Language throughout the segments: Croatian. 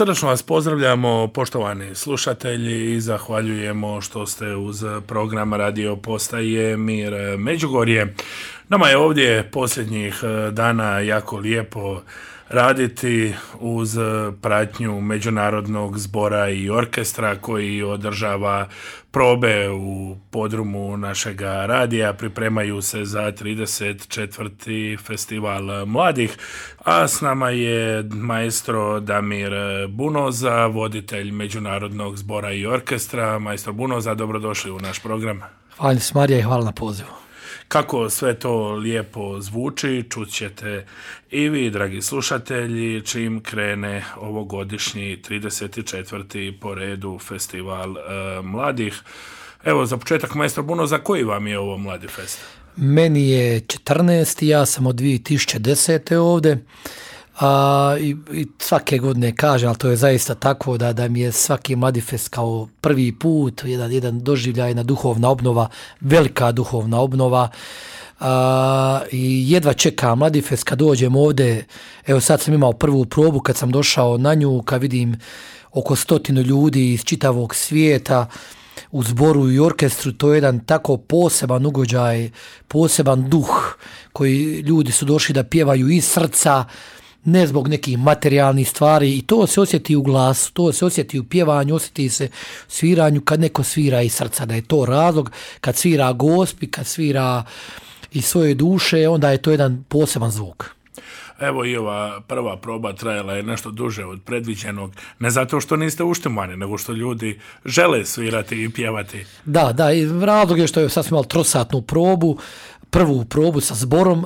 Srdačno vas pozdravljamo, poštovani slušatelji, i zahvaljujemo što ste uz program Radio Postaje Mir Međugorje. Nama je ovdje posljednjih dana jako lijepo raditi uz pratnju Međunarodnog zbora i orkestra koji održava probe u podrumu našega radija. Pripremaju se za 34. festival mladih, a s nama je maestro Damir Bunoza, voditelj Međunarodnog zbora i orkestra. Maestro Bunoza, dobrodošli u naš program. Hvala Marija i hvala na pozivu. Kako sve to lijepo zvuči, čut ćete i vi, dragi slušatelji, čim krene ovogodišnji 34. po redu festival mladih. Evo, za početak, maestro Bunoza, koji vam je ovo Mladi fest? Meni je 14. Ja sam od 2010. ovdje. I svake godine kažem, ali to je zaista tako da mi je svaki Mladi fest kao prvi put, jedan doživljaj, jedna duhovna obnova, velika duhovna obnova. I jedva čekam Mladi fest kad dođem ovdje. Evo sad sam imao prvu probu kad sam došao na nju, kad vidim oko 100 ljudi iz čitavog svijeta u zboru i orkestru. To je jedan tako poseban ugođaj, poseban duh koji ljudi su došli da pjevaju iz srca, ne zbog nekih materijalnih stvari, i to se osjeti u glasu, to se osjeti u pjevanju, osjeti se u sviranju kad neko svira iz srca, da je to razlog. Kad svira Gospi, kad svira iz svoje duše, onda je to jedan poseban zvuk. Evo, i ova prva proba trajala je nešto duže od predviđenog, ne zato što niste uštimani, nego što ljudi žele svirati i pjevati. Da, i razlog je što je sad smo imali trosatnu probu, prvu probu sa zborom.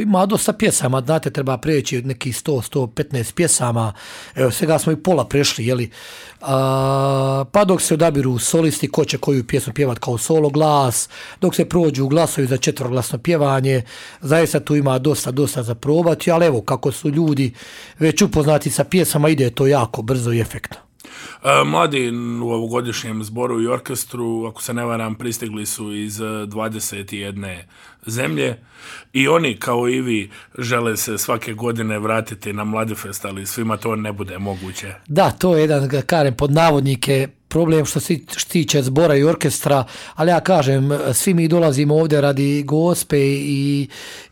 Ima dosta pjesama, znate, treba preći nekih 100-115 pjesama, evo svega smo i pola prešli, jeli. Pa dok se odabiru solisti ko će koju pjesmu pjevati kao solo glas, dok se prođu glasovi za četveroglasno pjevanje, zaista tu ima dosta za probati, ali evo, kako su ljudi već upoznati sa pjesama, ide to jako brzo i efektno. Mladi u ovogodišnjem zboru i orkestru, ako se ne varam, pristigli su iz 21 zemlje i oni, kao i vi, žele se svake godine vratiti na Mladi fest, ali svima to ne bude moguće. Da, to je jedan, kažem, pod navodnike problem što se tiče zbora i orkestra, ali ja kažem, svi mi dolazimo ovdje radi Gospe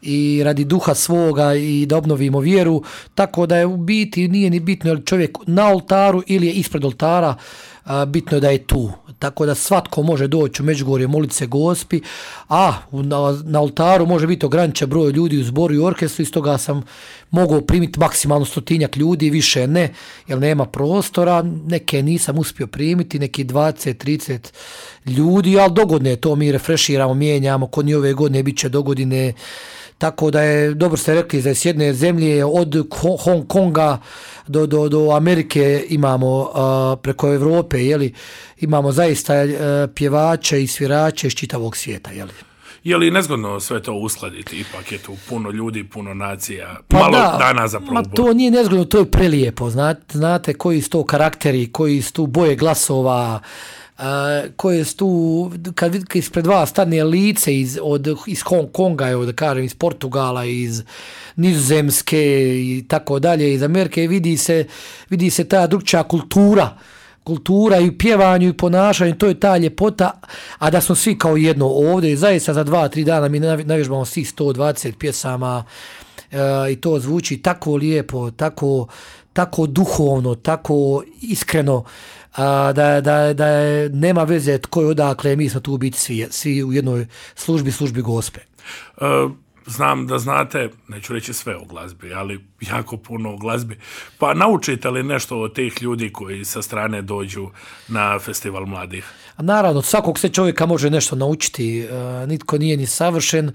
i radi duha svoga i da obnovimo vjeru, tako da je u biti nije ni bitno je li čovjek na oltaru ili je ispred oltara, bitno je da je tu. Tako da svatko može doći u Međugorje, moliti se Gospi, a na oltaru može biti ograničen broj ljudi u zboru i orkestru, iz toga sam mogao primiti maksimalno 100 ljudi, više ne, jer nema prostora, neke nisam uspio primiti, neki 20-30 ljudi, ali dogodine to mi refreširamo, mijenjamo, kod njih ove godine bit će dogodine. Tako da je, dobro ste rekli, da s jedne zemlje od Hong Konga do Amerike imamo, preko Evrope, jeli, imamo zaista pjevače i svirače iz čitavog svijeta, jeli. Je li nezgodno sve to uskladiti? Ipak je tu puno ljudi, puno nacija, pa malo da, dana za probu. To nije nezgodno, to je prelijepo. Znate koji su to karakteri, koji su tu boje glasova, koje su tu, kad ispred vas stane lice iz Hong Konga, evo da kažem, iz Portugala, iz Nizozemske i tako dalje, iz Amerike, vidi se ta drugčija kultura i u pjevanju i ponašanju, to je ta ljepota, a da smo svi kao jedno ovdje i zaista za 2-3 dana mi navježbamo svih 120 pjesama i to zvuči tako lijepo, tako duhovno, tako iskreno, da nema veze tko je odakle, mi smo tu biti svi u jednoj službi Gospe. Znam da znate, neću reći sve o glazbi, ali jako puno o glazbi. Pa naučite li nešto od tih ljudi koji sa strane dođu na festival mladih? Naravno, svakog se čovjeka može nešto naučiti, nitko nije ni savršen,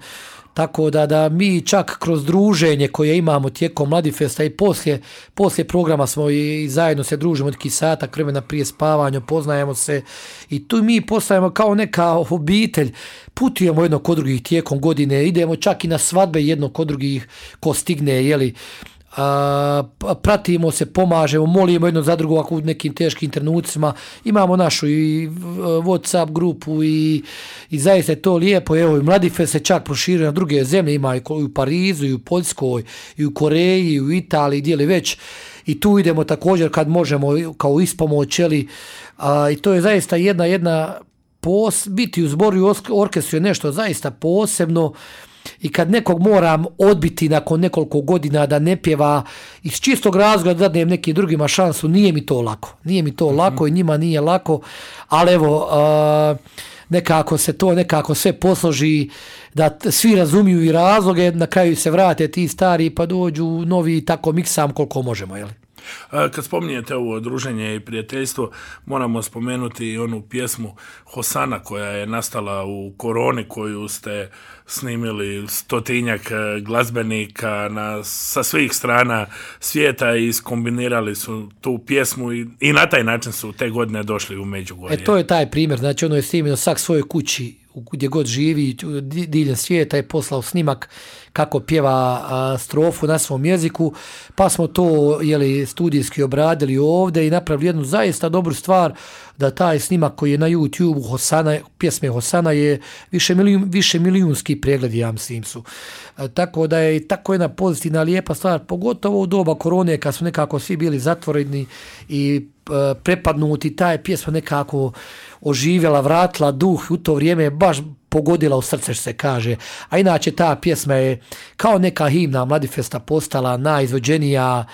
tako da mi čak kroz druženje koje imamo tijekom Mladi festa i poslije programa smo i zajedno se družimo neki satak vremena prije spavanja, poznajemo se i tu mi postajemo kao neka obitelj, putujemo jedno kod drugih tijekom godine, idemo čak i na svadbe jedno kod drugih ko stigne, jeli, pratimo se, pomažemo, molimo jedno za drugo ako u nekim teškim trenucima, imamo našu i WhatsApp grupu i zaista je to lijepo. Evo, i Mladi fest se čak proširio na druge zemlje, ima i u Parizu, i u Poljskoj, i u Koreji, i u Italiji, gdje li već. i tu idemo također kad možemo kao ispomoć, i to je zaista jedna biti u zboru i orkestru je nešto zaista posebno. I kad nekog moram odbiti nakon nekoliko godina da ne pjeva iz čistog razloga da danem nekim drugima šansu, nije mi to lako i njima nije lako, ali evo, nekako se to sve posloži da svi razumiju i razloge, na kraju se vrate ti stari pa dođu novi, tako miksam koliko možemo, jel? Kad spominjete ovo druženje i prijateljstvo, moramo spomenuti i onu pjesmu Hosana koja je nastala u koroni, koju ste snimili 100 glazbenika sa svih strana svijeta i skombinirali su tu pjesmu i na taj način su te godine došli u Međugorje. To je taj primjer, znači ono je snimio svak svojoj kući gdje god živi diljem svijeta je poslao snimak kako pjeva strofu na svom jeziku, pa smo to studijski obradili ovdje i napravili jednu zaista dobru stvar da taj snimak koji je na YouTube pjesme Hosana je više milijunski pregledi, ja mislim su. Tako da je tako jedna pozitivna, lijepa stvar, pogotovo u doba korone kad su nekako svi bili zatvoreni i prepadnuti, ta je pjesma nekako oživjela, vratila duh, u to vrijeme baš pogodila u srce, što se kaže. A inače ta pjesma je kao neka himna Mladifesta postala najizvođenija.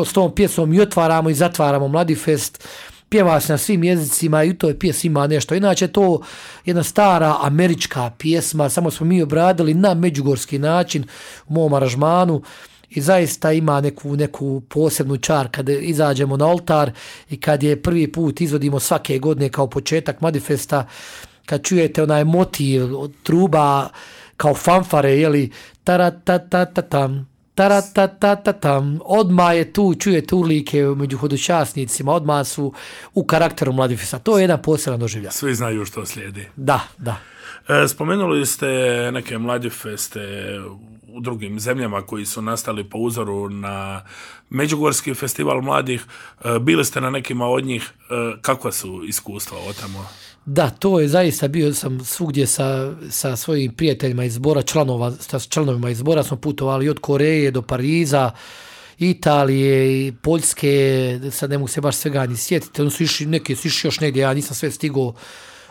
S tom pjesmom i otvaramo i zatvaramo Mladifest. Pjeva se na svim jezicima i u toj pjesmi ima nešto. Inače to jedna stara američka pjesma, samo smo mi obradili na međugorski način u mom aranžmanu. I zaista ima neku posebnu čar kad izađemo na oltar i kad je prvi put izvodimo svake godine kao početak Mladifesta, kad čujete onaj motiv od truba kao fanfare, taratatatam, taratatatam, odmah je tu, čujete urlike među hodočasnicima, odmah su u karakteru Mladifesta. To je jedan poseban doživljaj. Svi znaju što slijedi. Da. Spomenuli ste neke Mladifeste u drugim zemljama koji su nastali po uzoru na Međugorski festival mladih. Bili ste na nekima od njih. Kakva su iskustva od tamo? Da, to je zaista, bio sam svugdje sa svojim prijateljima iz zbora, članovima iz zbora smo putovali od Koreje do Pariza, Italije i Poljske, sad ne mogu se baš svega ni sjetiti, neki su išli još negdje, ja nisam sve stigao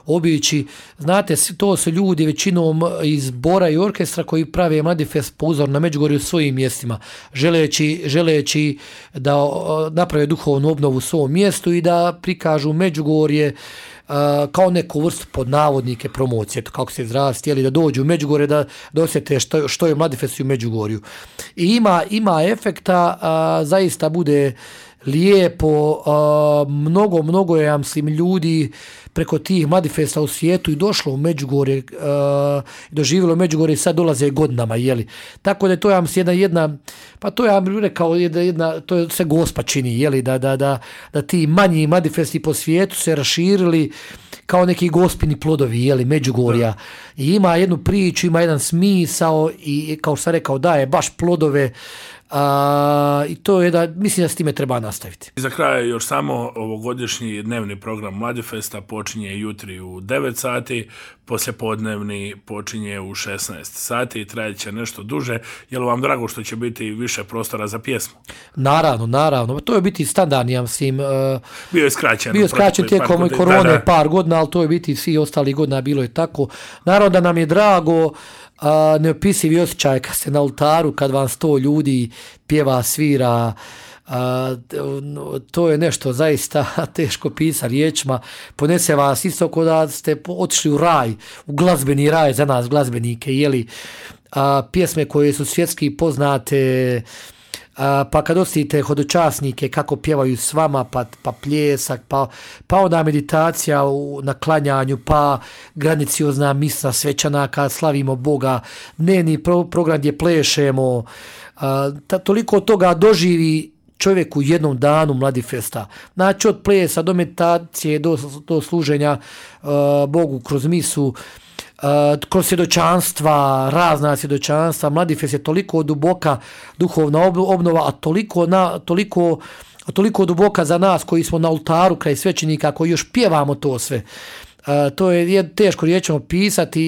obići. Znate, to su ljudi većinom iz zbora i orkestra koji prave Mladifest po uzoru na Međugorje u svojim mjestima, želeći da naprave duhovnu obnovu u svom mjestu i da prikažu Međugorje kao neku vrstu pod navodnike promocije, kako se izraziti, htjeli da dođu u Međugorje, da osjete što je Mladifest u Međugorju. I ima efekta, zaista bude lijepo, mnogo je, ja mislim, ljudi preko tih Mladifesta u svijetu i došlo u Međugorje, doživjelo Međugorje i sad dolaze godinama, Tako da je to, ja mislim, jedna pa to ja bih rekao, to je se Gospa čini, da ti manji Mladifesti po svijetu se raširili kao neki gospini plodovi, Međugorja. I ima jednu priču, ima jedan smisao i, kao što sam rekao, daje baš plodove. I to je mislim da s time treba nastaviti. I za kraj još samo ovogodišnji dnevni program Mladifesta počinje jutri u 9 sati, poslijepodnevni počinje u 16 sati i trajeće nešto duže. Je li vam drago što će biti više prostora za pjesmu? Naravno. To je biti standardni, ja mislim. Bio je skraćen tijekom korone par godina, ali to je biti svi ostali godina, bilo je tako. Naravno da nam je drago, neopisivi osjećaj kad ste na oltaru, kad vam 100 ljudi pjeva, svira, to je nešto zaista teško pisati riječima, ponese vas isto kao da ste otišli u raj, u glazbeni raj za nas glazbenike, pjesme koje su svjetski poznate, pa kad osjetite hodočasnike kako pjevaju s vama, pa pljesak, pa onda meditacija na klanjanju, pa graniciozna misa svečana kad slavimo Boga, dnevni program gdje plešemo, toliko toga doživi čovjek u jednom danu Mladifesta. Znači od plesa do meditacije do služenja Bogu kroz misu, kroz svjedočanstva, razna svjedočanstva. Mladifest je toliko duboka duhovna obnova, a toliko duboka za nas koji smo na oltaru kraj svećenika, koji još pjevamo to sve. To je teško riječima pisati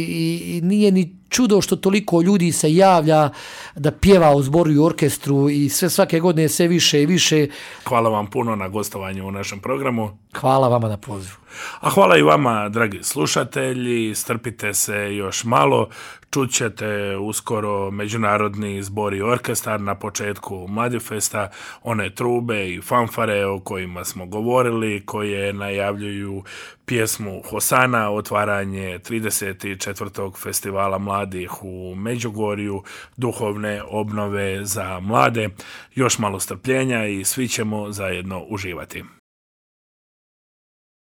i nije ni čudo što toliko ljudi se javlja da pjeva u zboru i orkestru i sve svake godine sve više i više. Hvala vam puno na gostovanju u našem programu. Hvala vama na pozivu. A hvala i vama, dragi slušatelji, strpite se još malo, čućete uskoro Međunarodni zbor i orkestar na početku Mladifesta, one trube i fanfare o kojima smo govorili, koje najavljuju pjesmu Hosana, otvaranje 34. festivala mladih u Međugorju, duhovne obnove za mlade. Još malo strpljenja i svi ćemo zajedno uživati.